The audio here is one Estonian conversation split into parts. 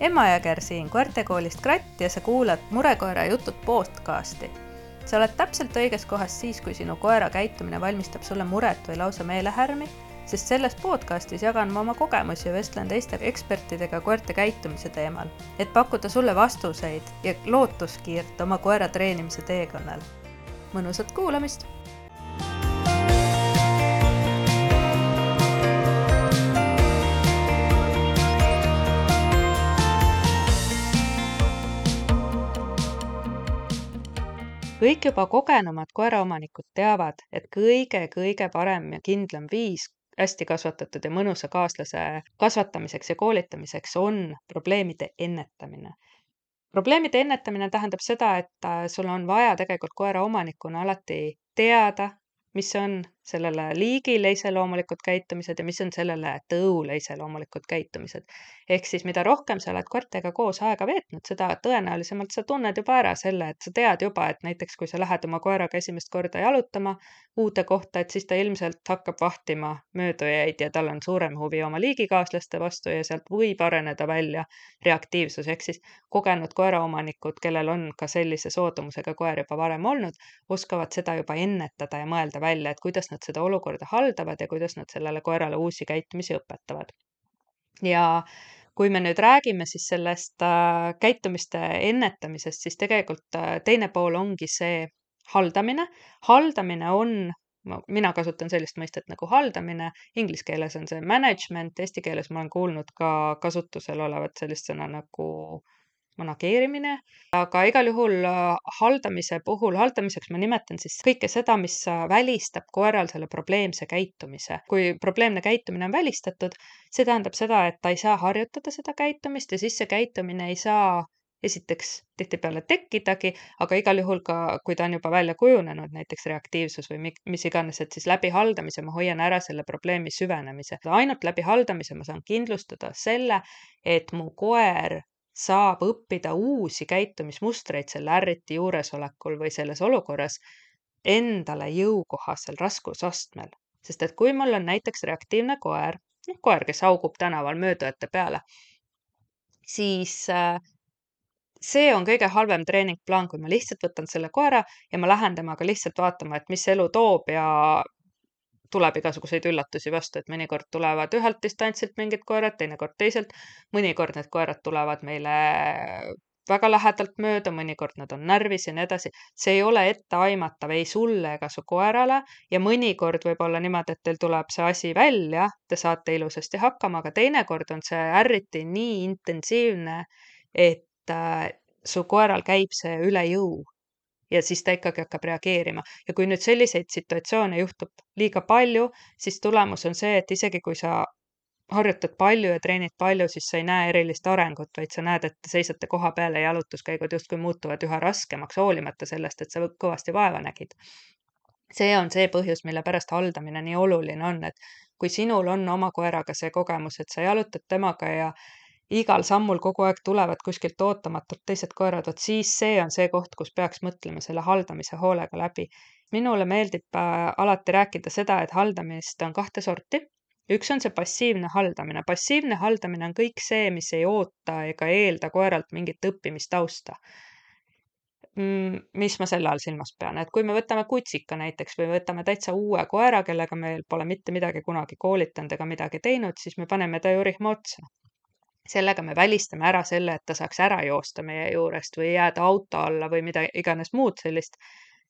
Emma Jõger siin koertekoolist Kratt ja sa kuulad Murekoera jutud podcasti. Sa oled täpselt õiges kohas siis, kui sinu koera käitumine valmistab sulle muret või lausa meelehärmi, sest selles podcastis jagan ma oma kogemusi ja vestlen teiste ekspertidega koerte käitumise teemal, et pakkuda sulle vastuseid ja lootuskiirt oma koera treenimise teekonnal. Mõnusat kuulamist! Kõik juba kogenumad koeraomanikud teavad, et kõige parem ja kindlam viis hästi kasvatatud ja mõnusa kaaslase kasvatamiseks ja koolitamiseks on probleemide ennetamine. Probleemide ennetamine tähendab seda, et sul on vaja tegelikult koeraomanikuna alati teada, mis on sellele liigile iseloomulikud käitumised ja mis on sellele tõule iseloomulikud käitumised. Ehk siis mida rohkem sa oled koertega koos aega veetnud, seda tõenäolisemalt sa tunned juba ära selle, et sa tead juba, et näiteks kui sa lähed oma koeraga esimest korda jalutama uude kohta, et siis ta ilmselt hakkab vahtima möödujaid ja tal on suurem huvi oma liigikaaslaste vastu ja sealt võib areneda välja reaktiivsus. Ehk siis kogenud koeraomanikud, kellel on ka sellise soodumusega koer juba varem olnud, oskavad seda juba ennetada ja mõelda välja, et kuidas nad seda olukorda haldavad ja kuidas nad sellele koerale uusi käitumisi õpetavad. Ja kui me nüüd räägime siis sellest käitumiste ennetamisest, siis tegelikult teine pool ongi see haldamine. Haldamine on, mina kasutan sellist mõistet nagu haldamine, inglise keeles on see management, eesti keeles ma olen kuulnud ka kasutusel olevat sellist sõna nagu manageerimine, aga igal juhul haldamiseks ma nimetan siis kõike seda, mis välistab koeral selle probleemse käitumise. Kui probleemne käitumine on välistatud, see tähendab seda, et ta ei saa harjutada seda käitumist ja siis see käitumine ei saa esiteks tihtipeale tekkidagi, aga igal juhul ka, kui ta on juba välja kujunenud, näiteks reaktiivsus või mis iganes, et siis läbi haldamise ma hoian ära selle probleemi süvenemise. Ainult läbi haldamise ma saan kindlustada selle, et mu koer saab õppida uusi käitumismustreid selle ärriti juuresolekul või selles olukorras endale jõukohasel raskusastmel. Sest et kui mul on näiteks reaktiivne koer, kes haugub tänaval möödujate peale, siis see on kõige halvem treeningplaan, kui ma lihtsalt võtan selle koera ja ma lähen temaga lihtsalt vaatama, et mis elu toob ja tuleb igasuguseid üllatusi vastu, et mõnikord tulevad ühelt distantsilt mingid koerad, teinekord teiselt, mõnikord need koerad tulevad meile väga lähedalt mööda, mõnikord nad on närvis ja nii edasi. See ei ole etteaimatav ei sulle ega su koerale ja mõnikord võib olla niimoodi, et teil tuleb see asi välja, te saate ilusasti hakkama, aga teinekord on see ärriti nii intensiivne, et su koeral käib see üle jõu. Ja siis ta ikkagi hakkab reageerima. Ja kui nüüd selliseid situatsioone juhtub liiga palju, siis tulemus on see, et isegi kui sa harjutad palju ja treenid palju, siis sa ei näe erilist arengut, vaid sa näed, et seisate koha peale ja jalutuskäigud justkui muutuvad üha raskemaks, hoolimata sellest, et sa kõvasti vaeva nägid. See on see põhjus, mille pärast haldamine nii oluline on, et kui sinul on oma koeraga see kogemus, et sa jalutad temaga ja igal sammul kogu aeg tulevad kuskilt ootamatult teised koerad, siis see on see koht, kus peaks mõtlema selle haldamise hoolega läbi. Minule meeldib alati rääkida seda, et haldamist on 2 sorti. Üks on see passiivne haldamine. Passiivne haldamine on kõik see, mis ei oota ega eelda koeralt mingit õppimistausta. Mis ma selle all silmas pean, et kui me võtame kutsika näiteks või võtame täitsa uue koera, kellega meil pole mitte midagi kunagi koolitanud ega midagi teinud, siis me paneme ta ju rihma otsa. Sellega me välistame ära selle, et ta saaks ära joosta meie juurest või jääda auto alla või mida iganes muud sellist.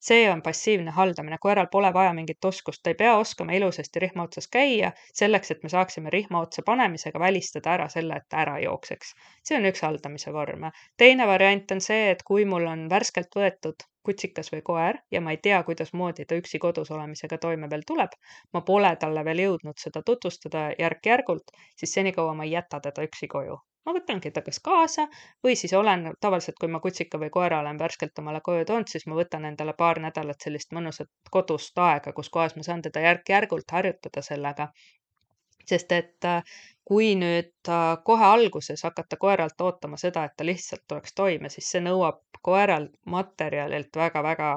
See on passiivne haldamine. Koeral pole vaja mingit oskust. Ta ei pea oskama ilusasti rihma otsas käia selleks, et me saaksime rihma otsa panemisega välistada ära selle, et ta ära jookseks. See on üks haldamise vorm. Teine variant on see, et kui mul on värskelt võetud kutsikas või koer ja ma ei tea, kuidas moodi ta üksi kodus olemisega toime veel tuleb, ma pole talle veel jõudnud seda tutvustada järk-järgult, siis senikaua ma ei jäta teda üksi koju. Ma võtangi ta kas kaasa või siis olen tavaliselt, kui ma kutsika või koera olen värskelt omale koju toonud, siis ma võtan endale paar nädalat sellist mõnusat kodust aega, kus kohas ma saan teda järk-järgult harjutada sellega. Sest et kui nüüd kohe alguses hakata koeralt ootama seda, et ta lihtsalt tuleks toime, siis see nõuab koeralt materjalilt väga-väga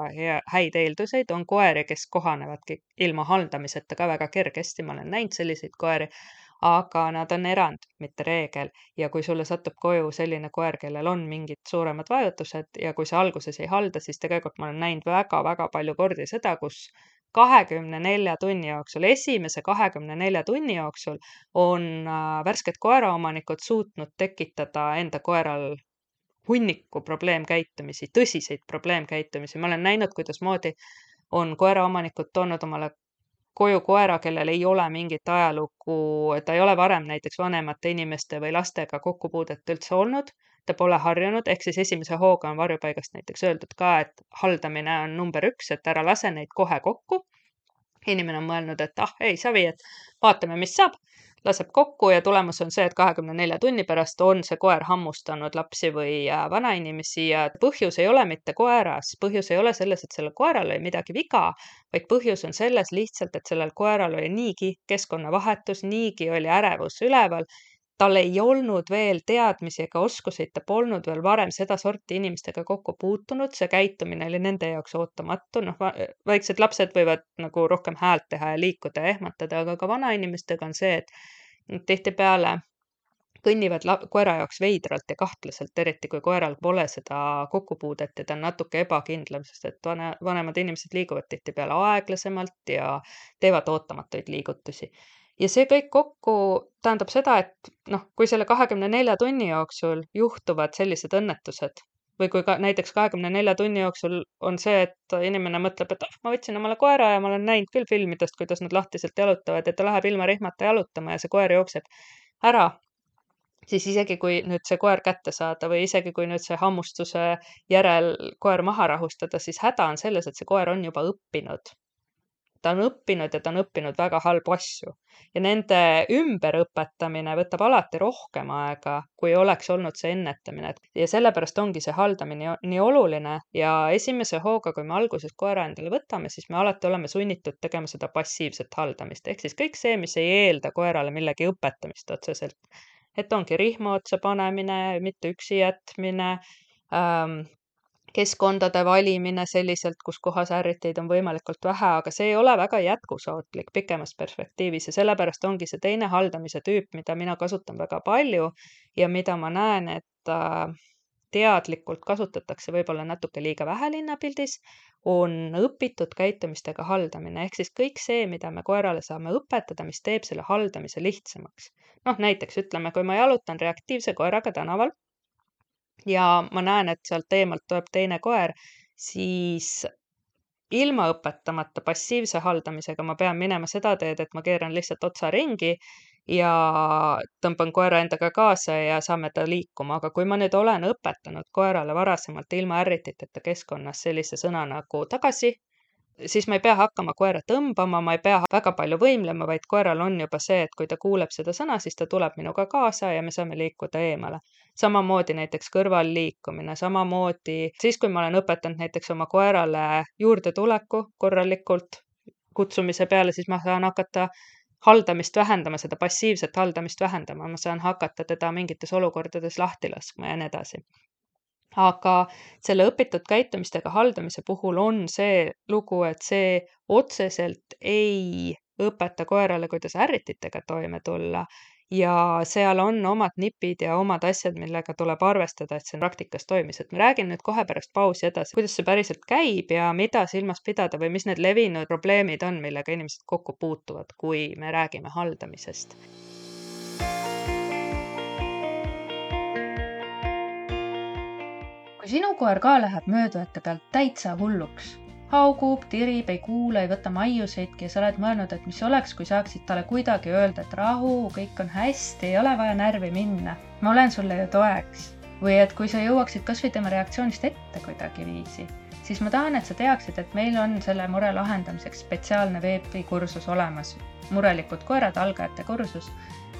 häid eelduseid. On koeri, kes kohanevadki ilma haldamiseta ka väga kergesti, ma olen näinud selliseid koeri, aga nad on erand, mitte reegel. Ja kui sulle satub koju selline koer, kellel on mingid suuremad vajutused ja kui sa alguses ei halda, siis tegelikult ma olen näinud väga-väga palju kordi seda, kus 24 tunni jooksul, esimese 24 tunni jooksul on värsked koeraomanikud suutnud tekitada enda koeral hunniku probleemkäitumisi, tõsiseid probleemkäitumisi. Ma olen näinud, kuidasmoodi on koeraomanikud toonud omale koju koera, kellel ei ole mingit ajalugu, ta ei ole varem näiteks vanemate inimeste või lastega kokkupuudet üldse olnud, ta pole harjunud, ehk siis esimese hooga on varjupaigast näiteks öeldud ka, et haldamine on number 1, et ära lase neid kohe kokku. Inimene on mõelnud, et ei savi, et vaatame, mis saab, laseb kokku ja tulemus on see, et 24 tunni pärast on see koer hammustanud lapsi või vanainimesi ja põhjus ei ole mitte koeras, põhjus ei ole selles, et sellel koeral oli midagi viga, vaid põhjus on selles lihtsalt, et sellel koeral oli niigi keskkonnavahetus, niigi oli ärevus üleval, tal ei olnud veel teadmisi ega oskuseid, ta polnud veel varem seda sorti inimestega kokku puutunud, see käitumine oli nende jaoks ootamatu, väiksed lapsed võivad nagu rohkem häält teha ja liikuda ja ehmatada, aga ka vanainimestega on see, et tihtipeale kõnnivad koera jaoks veidralt ja kahtlaselt, eriti kui koeral pole seda kokkupuudet ja ta on natuke ebakindlam, sest et vanemad inimesed liiguvad tihtipeale aeglasemalt ja teevad ootamatuid liigutusi. Ja see kõik kokku tähendab seda, et kui selle 24 tunni jooksul juhtuvad sellised õnnetused või kui ka näiteks 24 tunni jooksul on see, et inimene mõtleb, et ma võtsin omale koera ja ma olen näinud küll filmidest, kuidas nad lahtiselt jalutavad ja ta läheb ilma rihmata jalutama ja see koer jookseb ära, siis isegi kui nüüd see koer kätte saada või isegi kui nüüd see hammustuse järel koer maha rahustada, siis häda on selles, et see koer on juba õppinud. Ta on õppinud ja ta on õppinud väga halbu asju. Ja nende ümberõpetamine võtab alati rohkem aega, kui oleks olnud see ennetamine. Ja sellepärast ongi see haldamine nii oluline ja esimese hooga, kui me alguses koera endale võtame, siis me alati oleme sunnitud tegema seda passiivset haldamist. Ehk siis kõik see, mis ei eelda koerale millegi õpetamist otseselt. Et ongi rihma otsa panemine, mitte üksi jätmine, keskkondade valimine selliselt, kus kohas ärriteid on võimalikult vähe, aga see ei ole väga jätkusuutlik pikemas perspektiivis ja sellepärast ongi see teine haldamise tüüp, mida mina kasutan väga palju ja mida ma näen, et teadlikult kasutatakse võib-olla natuke liiga vähe linnapildis, on õpitud käitumistega haldamine, ehk siis kõik see, mida me koerale saame õpetada, mis teeb selle haldamise lihtsamaks. Näiteks ütleme, kui ma jalutan reaktiivse koeraga tänaval, ja ma näen, et sealt eemalt tuleb teine koer, siis ilma õpetamata passiivse haldamisega ma pean minema seda teed, et ma keeran lihtsalt otsa ringi ja tõmban koera endaga kaasa ja saame ta liikuma. Aga kui ma nüüd olen õpetanud koerale varasemalt ilma ärrititeta keskkonnas sellise sõna nagu tagasi, siis ma ei pea hakkama koera tõmbama, ma ei pea väga palju võimlema, vaid koeral on juba see, et kui ta kuuleb seda sõna, siis ta tuleb minuga kaasa ja me saame liikuda eemale. Samamoodi näiteks kõrval liikumine, samamoodi siis, kui ma olen õpetanud näiteks oma koerale juurde tuleku korralikult kutsumise peale, siis ma saan hakata haldamist vähendama, seda passiivset haldamist vähendama, ma saan hakata teda mingites olukordades lahti laskma ja nii edasi. Aga selle õpitud käitumistega haldamise puhul on see lugu, et see otseselt ei õpeta koerale, kuidas ärrititega toime tulla ja seal on omad nipid ja omad asjad, millega tuleb arvestada, et see praktikas toimis. Et ma räägin nüüd kohe pärast pausi edasi, kuidas see päriselt käib ja mida silmas pidada või mis need levinud probleemid on, millega inimesed kokku puutuvad, kui me räägime haldamisest. Kui sinu koer ka läheb möödujate pealt täitsa hulluks, haugub, tirib, ei kuule, ei võta maiuseidki ja sa oled mõelnud, et mis oleks, kui saaksid talle kuidagi öelda, et rahu, kõik on hästi, ei ole vaja närvi minna. Ma olen sulle ju toeks. Või et kui sa jõuaksid kas või tema reaktsioonist ette kuidagi viisi, siis ma tahan, et sa teaksid, et meil on selle mure lahendamiseks spetsiaalne veebikursus olemas. Murelikud koerad, algajate kursus.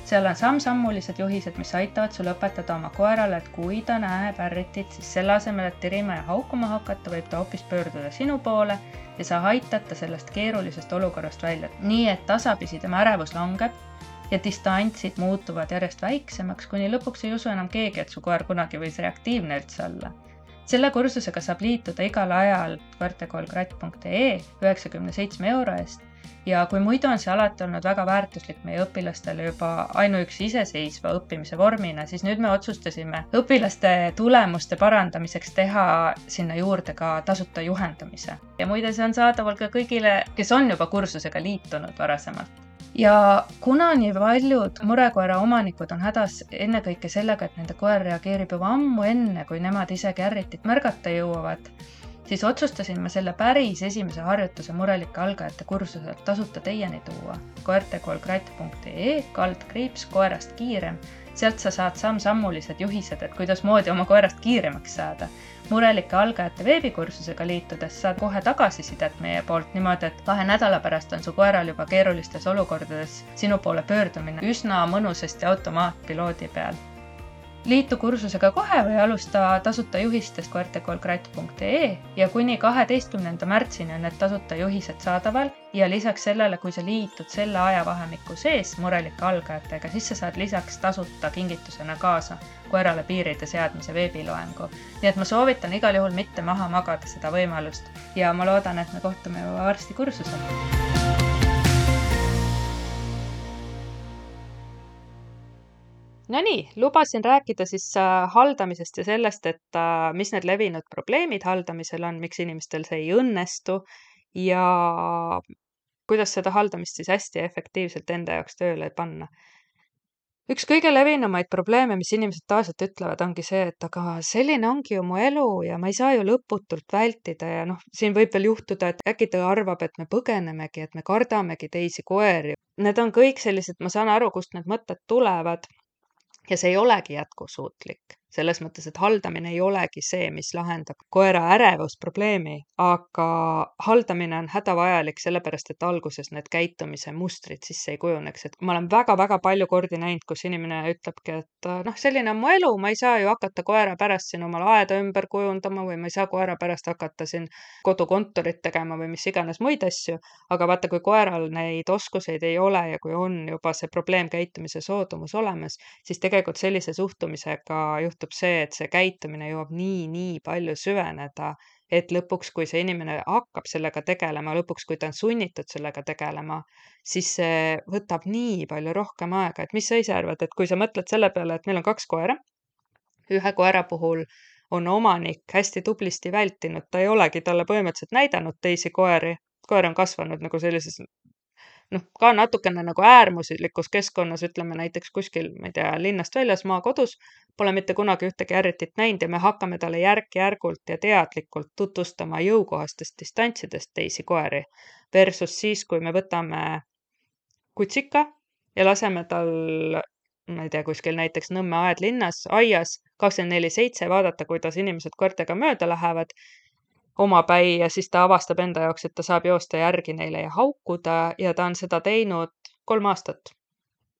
Seal on samm-sammulised juhised, mis aitavad sul õpetada oma koerale, et kui ta näeb ärritit, siis selle asemel, et tirima ja haukuma hakata, võib ta hoopis pöörduda sinu poole ja sa aitad ta sellest keerulisest olukorrast välja. Nii, et tasapisi tema ärevus langeb ja distantsid muutuvad järjest väiksemaks, kuni lõpuks ei usu enam keegi, et su koer kunagi võis reaktiivne üldse olla. Selle kursusega saab liituda igal ajal koertekoolkratt.ee 97 € eest ja kui muidu on see alati olnud väga väärtuslik meie õpilastele juba ainuüksi iseseisva õppimise vormina, siis nüüd me otsustasime õpilaste tulemuste parandamiseks teha sinna juurde ka tasuta juhendamise. Ja muide, see on saadaval ka kõigile, kes on juba kursusega liitunud varasemalt. Ja kuna nii paljud murekoera omanikud on hädas ennekõike sellega, et nende koer reageerib juba ammu enne, kui nemad isegi ärritit märgata jõuavad, siis otsustasin ma selle päris esimese harjutuse murelike algajate kursuselt tasuta teieni tuua. koertekoolgrait.ee/koerast kiirem. Sealt sa saad samm-sammulised juhised, et kuidas moodi oma koerast kiiremaks saada. Murelike algajate veebikursusega liitudes saad kohe tagasisidet meie poolt niimoodi, et 2 nädala pärast on su koeral juba keerulistes olukordades sinu poole pöördumine üsna mõnusasti automaatpiloodi peal. Liitu kursusega kohe või alusta tasuta juhistest koertekoolgrait.ee ja kuni 12. märtsini on need tasuta juhised saadaval ja lisaks sellele, kui sa liitud selle ajavahemiku sees murelike algajatega, siis sa saad lisaks tasuta kingitusena kaasa koerale piiride seadmise veebiloengu. Nii et ma soovitan igal juhul mitte maha magada seda võimalust ja ma loodan, et me kohtume juba varsti kursusel. No nii, lubasin rääkida siis haldamisest ja sellest, et mis need levinud probleemid haldamisel on, miks inimestel see ei õnnestu ja kuidas seda haldamist siis hästi efektiivselt enda jaoks tööle panna. Üks kõige levinumaid probleeme, mis inimesed tavaliselt ütlevad, ongi see, et aga selline ongi ju mu elu ja ma ei saa ju lõputult vältida ja siin võib veel juhtuda, et äkki ta arvab, et me põgenemegi, et me kardamegi teisi koeri. Need on kõik sellised, ma saan aru, kust need mõtted tulevad. Ja see ei olegi jätkusuutlik. Selles mõttes, et haldamine ei olegi see, mis lahendab koera ärevusprobleemi, aga haldamine on hädavajalik sellepärast, et alguses need käitumise mustrid sisse ei kujuneks. Et ma olen väga-väga palju kordi näinud, kus inimene ütlebki, et selline on mu elu, ma ei saa ju hakata koera pärast siin omal aeda ümber kujundama või ma ei saa koera pärast hakata siin kodukontorit tegema või mis iganes muid asju. Aga vaata, kui koeral neid oskuseid ei ole ja kui on juba see probleemkäitumise soodumus olemas, siis tegelikult sellise suhtumisega juhtub see, et see käitumine jõuab nii palju süveneda, et lõpuks, kui see inimene hakkab sellega tegelema, lõpuks, kui ta on sunnitud sellega tegelema, siis see võtab nii palju rohkem aega. Et mis sa ise arvad, et kui sa mõtled selle peale, et meil on 2 koera, ühe koera puhul on omanik hästi tublisti vältinud, ta ei olegi talle põhimõtteliselt näidanud teisi koeri, koer on kasvanud nagu sellises ka natukene nagu äärmuslikus keskkonnas, ütleme näiteks kuskil, ma ei tea, linnast väljas maakodus, pole mitte kunagi ühtegi ärritit näinud ja me hakkame talle järk-järgult ja teadlikult tutvustama jõukohastest distantsidest teisi koeri. Versus siis, kui me võtame kutsika ja laseme tal, ma ei tea, kuskil näiteks Nõmme aed linnas, aias 24/7 vaadata, kuidas inimesed koertega mööda lähevad, omapäi ja siis ta avastab enda jaoks, et ta saab joosta järgi neile ja haukuda ja ta on seda teinud 3 aastat.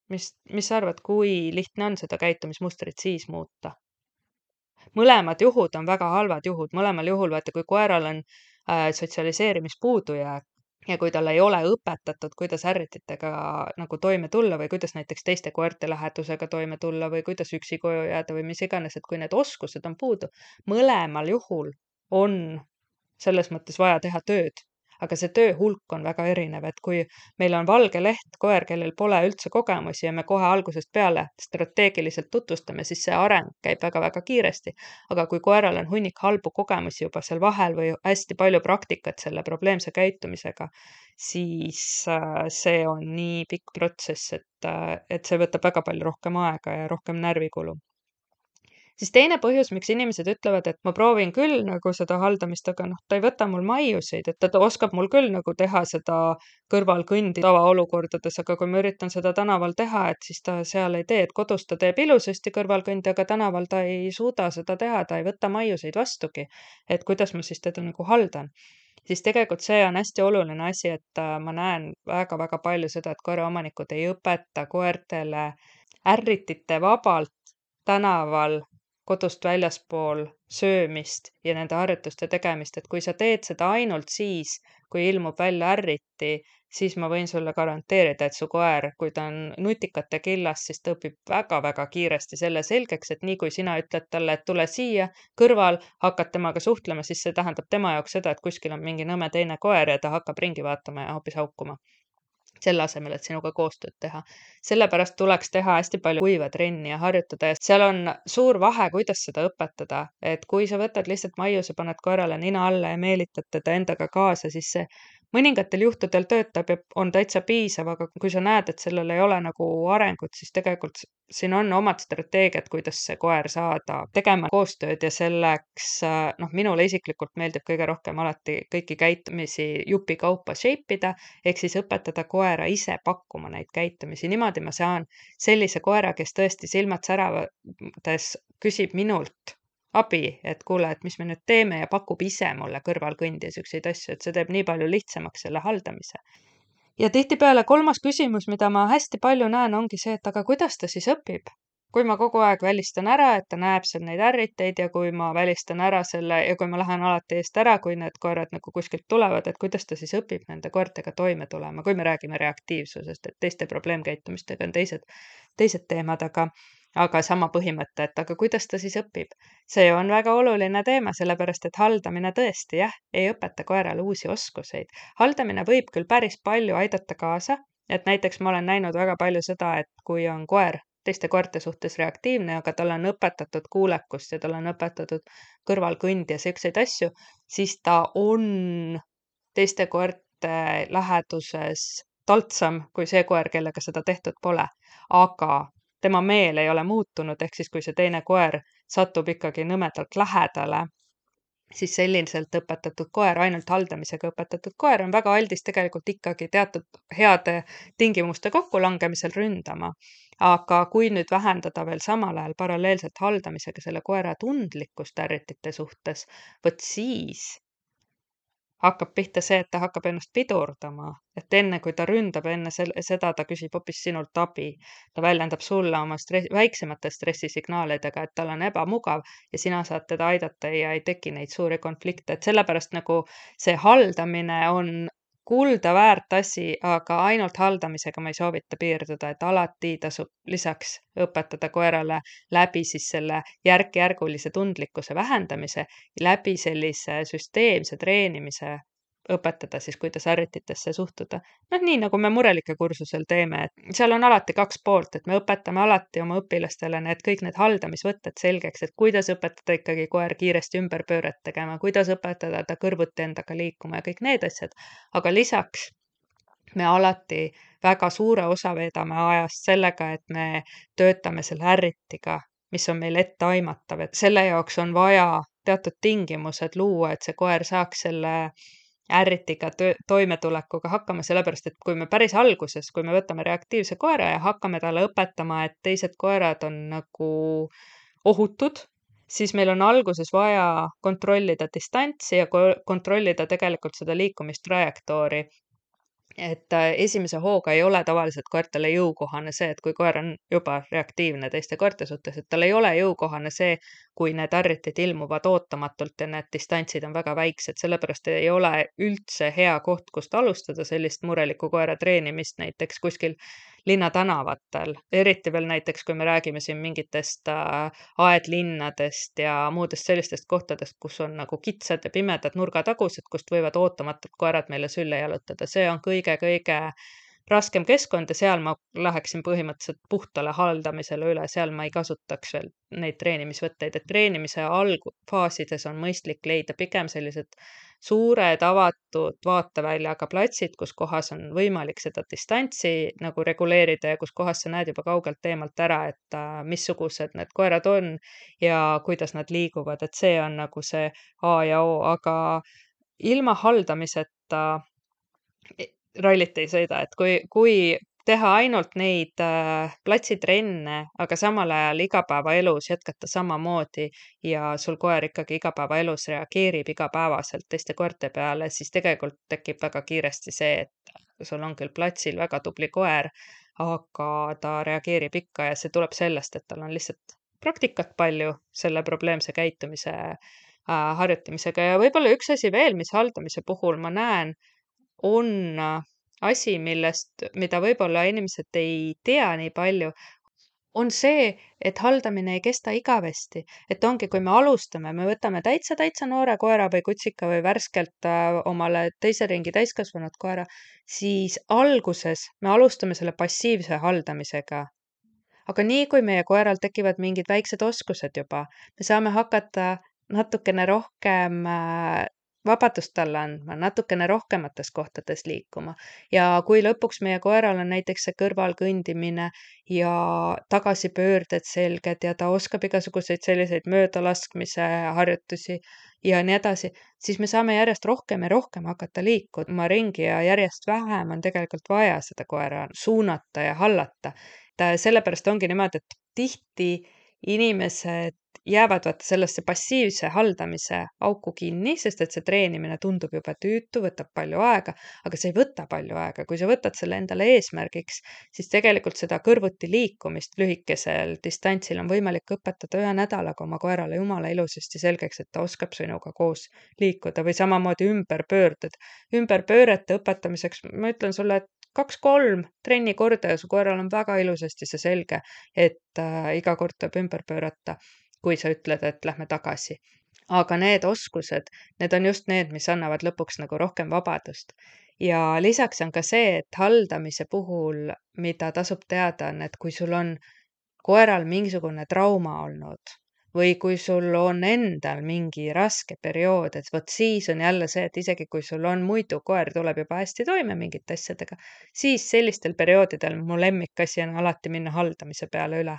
Mis sa arvad, kui lihtne on seda käitumismustrit siis muuta? Mõlemad juhud on väga halvad juhud. Mõlemal juhul, vaata, kui koeral on sotsialiseerimispuudujääk ja kui tal ei ole õpetatud, kuidas ärrititega nagu toime tulla või kuidas näiteks teiste koerte lähedusega toime tulla või kuidas üksi koju jääda või mis iganes, et kui need oskused on puudu, mõlemal juhul on selles mõttes vaja teha tööd, aga see töö hulk on väga erinev, et kui meil on valge leht koer, kellel pole üldse kogemusi ja me kohe algusest peale strateegiliselt tutvustame, siis see areng käib väga-väga kiiresti. Aga kui koeral on hunnik halbu kogemusi juba seal vahel või hästi palju praktikat selle probleemse käitumisega, siis see on nii pikk protsess, et see võtab väga palju rohkem aega ja rohkem närvikulu. Siis teine põhjus, miks inimesed ütlevad, et ma proovin küll nagu seda haldamist, aga ta ei võta mul maiuseid, et ta oskab mul küll nagu teha seda kõrvalkõndi tavaolukordades, aga kui ma üritan seda tänaval teha, et siis ta seal ei tee, et kodus ta teeb ilusasti kõrvalkõndi, aga tänaval ta ei suuda seda teha, ta ei võta maiuseid vastugi. Et kuidas ma siis teda nagu haldan? Siis tegelikult see on hästi oluline asi, et ma näen väga-väga palju seda, et koeraomanikud ei õpeta koertele ärritite vabalt tänaval kodust väljaspool söömist ja nende harjutuste tegemist, et kui sa teed seda ainult siis, kui ilmub välja ärriti, siis ma võin sulle garanteerida, et su koer, kui ta on nutikate killas, siis ta õpib väga-väga kiiresti selle selgeks, et nii kui sina ütled talle, et tule siia kõrval, hakkad temaga suhtlema, siis see tähendab tema jaoks seda, et kuskil on mingi nõme teine koer ja ta hakkab ringi vaatama ja hoopis haukuma. selle asemel, et sinuga koostööd teha. Sellepärast tuleks teha hästi palju kuiva trenni ja harjutada ja seal on suur vahe, kuidas seda õpetada, et kui sa võtad lihtsalt maiuse, paned koerale nina alla ja meelitad teda endaga kaasa, siis see mõningatel juhtudel töötab ja on täitsa piisav, aga kui sa näed, et sellel ei ole nagu arengut, siis tegelikult siin on omad strateegiad, kuidas see koer saada tegema koostööd ja selleks, minule isiklikult meeldib kõige rohkem alati kõiki käitumisi jupikaupa shape ida, ehk siis õpetada koera ise pakkuma neid käitumisi. Niimoodi ma saan sellise koera, kes tõesti silmad säravates küsib minult abi, et kuule, et mis me nüüd teeme ja pakub ise mulle kõrval kõndi ja siukseid asju, et see teeb nii palju lihtsamaks selle haldamise. Ja tihtipeale kolmas küsimus, mida ma hästi palju näen, ongi see, et aga kuidas ta siis õpib? Kui ma kogu aeg välistan ära, et ta näeb seal neid ärriteid ja kui ma välistan ära selle ja kui ma lähen alati eest ära, kui need koerad nagu kuskilt tulevad, et kuidas ta siis õpib nende koertega toime tulema, kui me räägime reaktiivsusest, et teiste probleemkäitumistega on teised teemad, aga sama põhimõte, et aga kuidas ta siis õpib? See on väga oluline teema, sellepärast et haldamine tõesti, jah, ei õpeta koerale uusi oskuseid. Haldamine võib küll päris palju aidata kaasa, et näiteks ma olen näinud väga palju seda, et kui on koer teiste koerte suhtes reaktiivne, aga talle on õpetatud kuulekust ja talle on õpetatud kõrvalkõnd ja siukseid asju, siis ta on teiste koerte läheduses taltsam kui see koer, kellega seda tehtud pole. Aga tema meel ei ole muutunud, ehk siis kui see teine koer satub ikkagi nõmedalt lähedale, siis selliselt õpetatud koer, ainult haldamisega õpetatud koer on väga aldis tegelikult ikkagi teatud heade tingimuste kokkulangemisel ründama. Aga kui nüüd vähendada veel samal ajal paralleelselt haldamisega selle koera tundlikkust ärritite suhtes, vot siis hakkab pihta see, et ta hakkab ennast pidurdama, et enne kui ta ründab, enne seda ta küsib hoopis sinult abi. Ta väljendab sulle oma väiksemate stressisignaalidega, et tal on ebamugav ja sina saad teda aidata ja ei teki neid suuri konflikte, et sellepärast nagu see haldamine on kulda väärt asi, aga ainult haldamisega ma ei soovita piirduda, et alati tasub lisaks õpetada koerale läbi siis selle järk-järgulise tundlikkuse vähendamise, läbi sellise süsteemse treenimise õpetada siis, kuidas ärrititesse suhtuda. Nii nagu me murelike kursusel teeme, et seal on alati kaks poolt, et me õpetame alati oma õpilastele kõik need haldamisvõtted selgeks, et kuidas õpetada ikkagi koer kiiresti ümberpööret tegema, kuidas õpetada ta kõrvuti endaga liikuma ja kõik need asjad. Aga lisaks me alati väga suure osa veedame ajast sellega, et me töötame selle ärritiga, mis on meil etteaimatav, et selle jaoks on vaja teatud tingimused luua, et see koer saaks selle ärritiga toimetulekuga hakkama, sellepärast et kui me päris alguses, kui me võtame reaktiivse koera ja hakkame talle õpetama, et teised koerad on nagu ohutud, siis meil on alguses vaja kontrollida distantsi ja kontrollida tegelikult seda liikumistrajektoori. Et esimese hooga ei ole tavaliselt koertele jõukohane see, et kui koer on juba reaktiivne teiste koerte suhtes, et tal ei ole jõukohane see, kui need ärritid ilmuvad ootamatult ja need distantsid on väga väiksed, sellepärast ei ole üldse hea koht, kust alustada sellist mureliku koera treenimist näiteks kuskil linnatänavatel. Eriti veel näiteks, kui me räägime siin mingitest aedlinnadest ja muudest sellistest kohtadest, kus on nagu kitsad ja pimedad nurgatagused, kust võivad ootamatult koerad meile sülle jalutada. See on kõige-kõige raskem keskkond ja seal ma läheksin põhimõtteliselt puhtale haldamisele üle, seal ma ei kasutaks veel neid treenimisvõtteid, et treenimise algfaasides on mõistlik leida pigem sellised suured avatud vaateväljaga platsid, kus kohas on võimalik seda distantsi nagu reguleerida ja kus kohas sa näed juba kaugelt eemalt ära, et missugused need koerad on ja kuidas nad liiguvad, et see on nagu see A ja O, aga ilma haldamiseta rallit ei sõida, et kui teha ainult neid platsitrenne, aga samal ajal igapäevaelus jätkata samamoodi ja sul koer ikkagi igapäevaelus reageerib igapäevaselt teiste koerte peale, siis tegelikult tekib väga kiiresti see, et sul on küll platsil väga tubli koer, aga ta reageerib ikka ja see tuleb sellest, et tal on lihtsalt praktikat palju selle probleemse käitumise harjutamisega ja võib-olla üks asi veel, mis haldamise puhul ma näen, on asi, mida võib-olla inimesed ei tea nii palju, on see, et haldamine ei kesta igavesti. Et ongi, kui me alustame, me võtame täitsa noore koera või kutsika või värskelt omale teise ringi täiskasvanud koera, siis alguses me alustame selle passiivse haldamisega. Aga nii, kui meie koeral tekivad mingid väiksed oskused juba, me saame hakata natukene rohkem vabadust talle andma, natukene rohkemates kohtades liikuma. Ja kui lõpuks meie koeral on näiteks see kõrvalkõndimine ja tagasipöörded selged ja ta oskab igasuguseid selliseid möödalaskmise harjutusi ja nii edasi, siis me saame järjest rohkem ja rohkem hakata liikuma ringi ja järjest vähem on tegelikult vaja seda koera suunata ja hallata. Sellepärast ongi niimoodi, et tihti inimesed jäävad vaata sellesse passiivse haldamise auku kinni, sest et see treenimine tundub juba tüütu, võtab palju aega, aga see ei võta palju aega. Kui sa võtad selle endale eesmärgiks, siis tegelikult seda kõrvuti liikumist lühikesel distantsil on võimalik õpetada 1 nädalaga oma koerale jumala ilusasti selgeks, et ta oskab sinuga koos liikuda või samamoodi ümberpöörded. Ümberpöörete õpetamiseks ma ütlen sulle, et 2-3 trenni korda ja su koeral on väga ilusasti see selge, et iga kord tuleb ümber pöörata, kui sa ütled, et lähme tagasi. Aga need oskused, need on just need, mis annavad lõpuks nagu rohkem vabadust. Ja lisaks on ka see, et haldamise puhul, mida tasub teada, on, et kui sul on koeral mingisugune trauma olnud või kui sul on endal mingi raske periood, et vot siis on jälle see, et isegi kui sul on muidu koer tuleb juba hästi toime mingite asjadega, siis sellistel perioodidel mu lemmikasi on alati minna haldamise peale üle.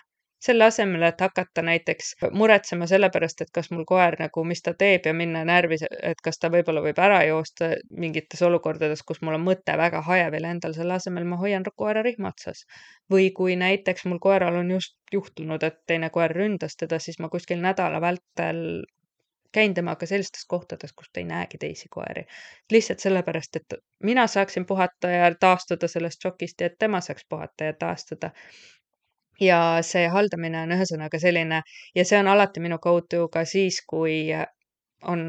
Selle asemel, et hakata näiteks muretsema selle pärast, et kas mul koer nagu, mis ta teeb ja minna närvis, et kas ta võib-olla võib ära joosta mingites olukordades, kus mul on mõte väga hajevil endal, selle asemel ma hoian koera rihma otsas. Või kui näiteks mul koeral on just juhtunud, et teine koer ründas teda, siis ma kuskil nädala vältel käin temaga sellistes kohtades, kus ta ei näegi teisi koeri. Lihtsalt sellepärast, et mina saaksin puhata ja taastuda sellest šokist ja et tema saaks puhata ja taastuda. Ja see haldamine on ühesõnaga selline ja see on alati minu go-to ka siis, kui on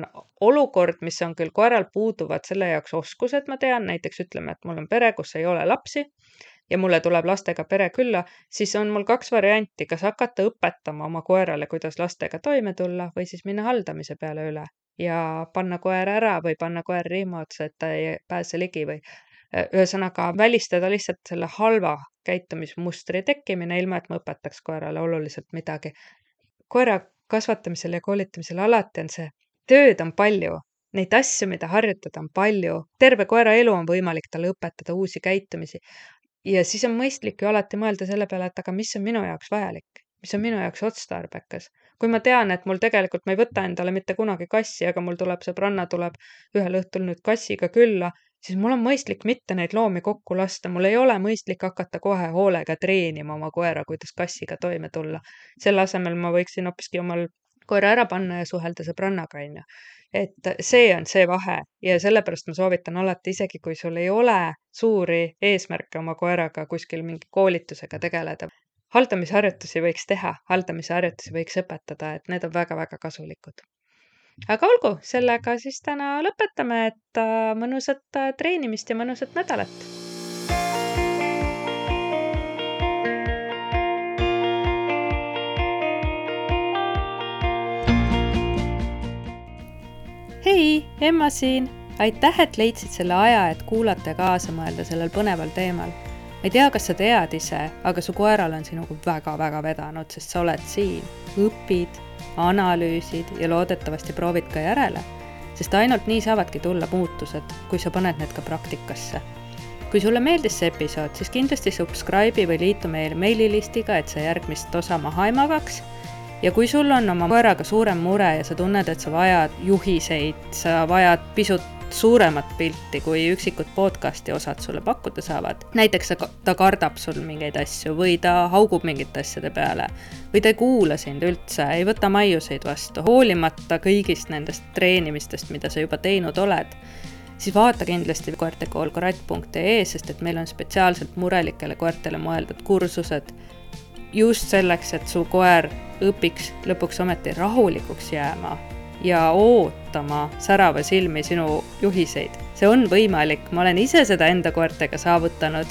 olukord, mis on küll koeral puuduvad selle jaoks oskused, ma tean, näiteks ütleme, et mul on pere, kus ei ole lapsi ja mulle tuleb lastega pere külla, siis on mul 2 varianti, kas hakata õpetama oma koerale, kuidas lastega toime tulla või siis minna haldamise peale üle ja panna koer ära või panna koer rihma otsa, et ta ei pääse ligi või ühesõnaga välistada lihtsalt selle halva käitumismustri tekkimine, ilma et ma õpetaks koerale oluliselt midagi. Koera kasvatamisel ja koolitamisel alati on see, tööd on palju, neid asju, mida harjutada on palju, terve koera elu on võimalik talle õpetada uusi käitumisi. Ja siis on mõistlik ju alati mõelda selle peale, et aga mis on minu jaoks vajalik, mis on minu jaoks otstarbekas. Kui ma tean, et mul tegelikult ma ei võta endale mitte kunagi kassi, aga mul tuleb sõbranna tuleb ühel õhtul nüüd kassiga külla, siis mul on mõistlik mitte neid loomi kokku lasta, mul ei ole mõistlik hakata kohe hoolega treenima oma koera, kuidas kassiga toime tulla. Selle asemel ma võiksin hoopiski omal koera ära panna ja suhelda sõbrannaga, on ju. Et see on see vahe ja sellepärast ma soovitan alati, isegi kui sul ei ole suuri eesmärke oma koeraga kuskil mingi koolitusega tegeleda. Haldamisharjutusi võiks teha, haldamisharjutusi võiks õpetada, et need on väga-väga kasulikud. Aga olgu, sellega siis täna lõpetame, et mõnusat treenimist ja mõnusat nädalat. Hei, Emma siin! Aitäh, et leidsid selle aja, et kuulata ja kaasa mõelda sellel põneval teemal. Ei tea, kas sa tead ise, aga su koeral on sinuga väga-väga vedanud, sest sa oled siin, õpid, analüüsid ja loodetavasti proovid ka järele, sest ainult nii saavadki tulla muutused, kui sa paned need ka praktikasse. Kui sulle meeldis see episood, siis kindlasti subscribe'i või liitu meil meililistiga, et sa järgmist osa maha ei magaks. Ja kui sul on oma koeraga suurem mure ja sa tunned, et sa vajad juhiseid, sa vajad pisut suuremat pilti, kui üksikud podcasti osad sulle pakkuda saavad. Näiteks ta kardab sul mingeid asju või ta haugub mingite asjade peale või ta ei kuula sind üldse, ei võta maiuseid vastu, hoolimata kõigist nendest treenimistest, mida sa juba teinud oled, siis vaata kindlasti koertekoolkorat.ee, sest et meil on spetsiaalselt murelikele koertele mõeldud kursused just selleks, et su koer õpiks lõpuks ometi rahulikuks jääma ja ootama särava silmi sinu juhiseid. See on võimalik, ma olen ise seda enda koertega saavutanud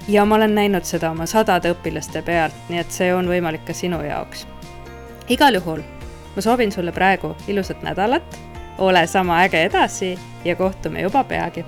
ja ma olen näinud seda oma 100 õpilaste pealt, nii et see on võimalik ka sinu jaoks. Igal juhul ma soovin sulle praegu ilusat nädalat, ole sama äge edasi ja kohtume juba peagi.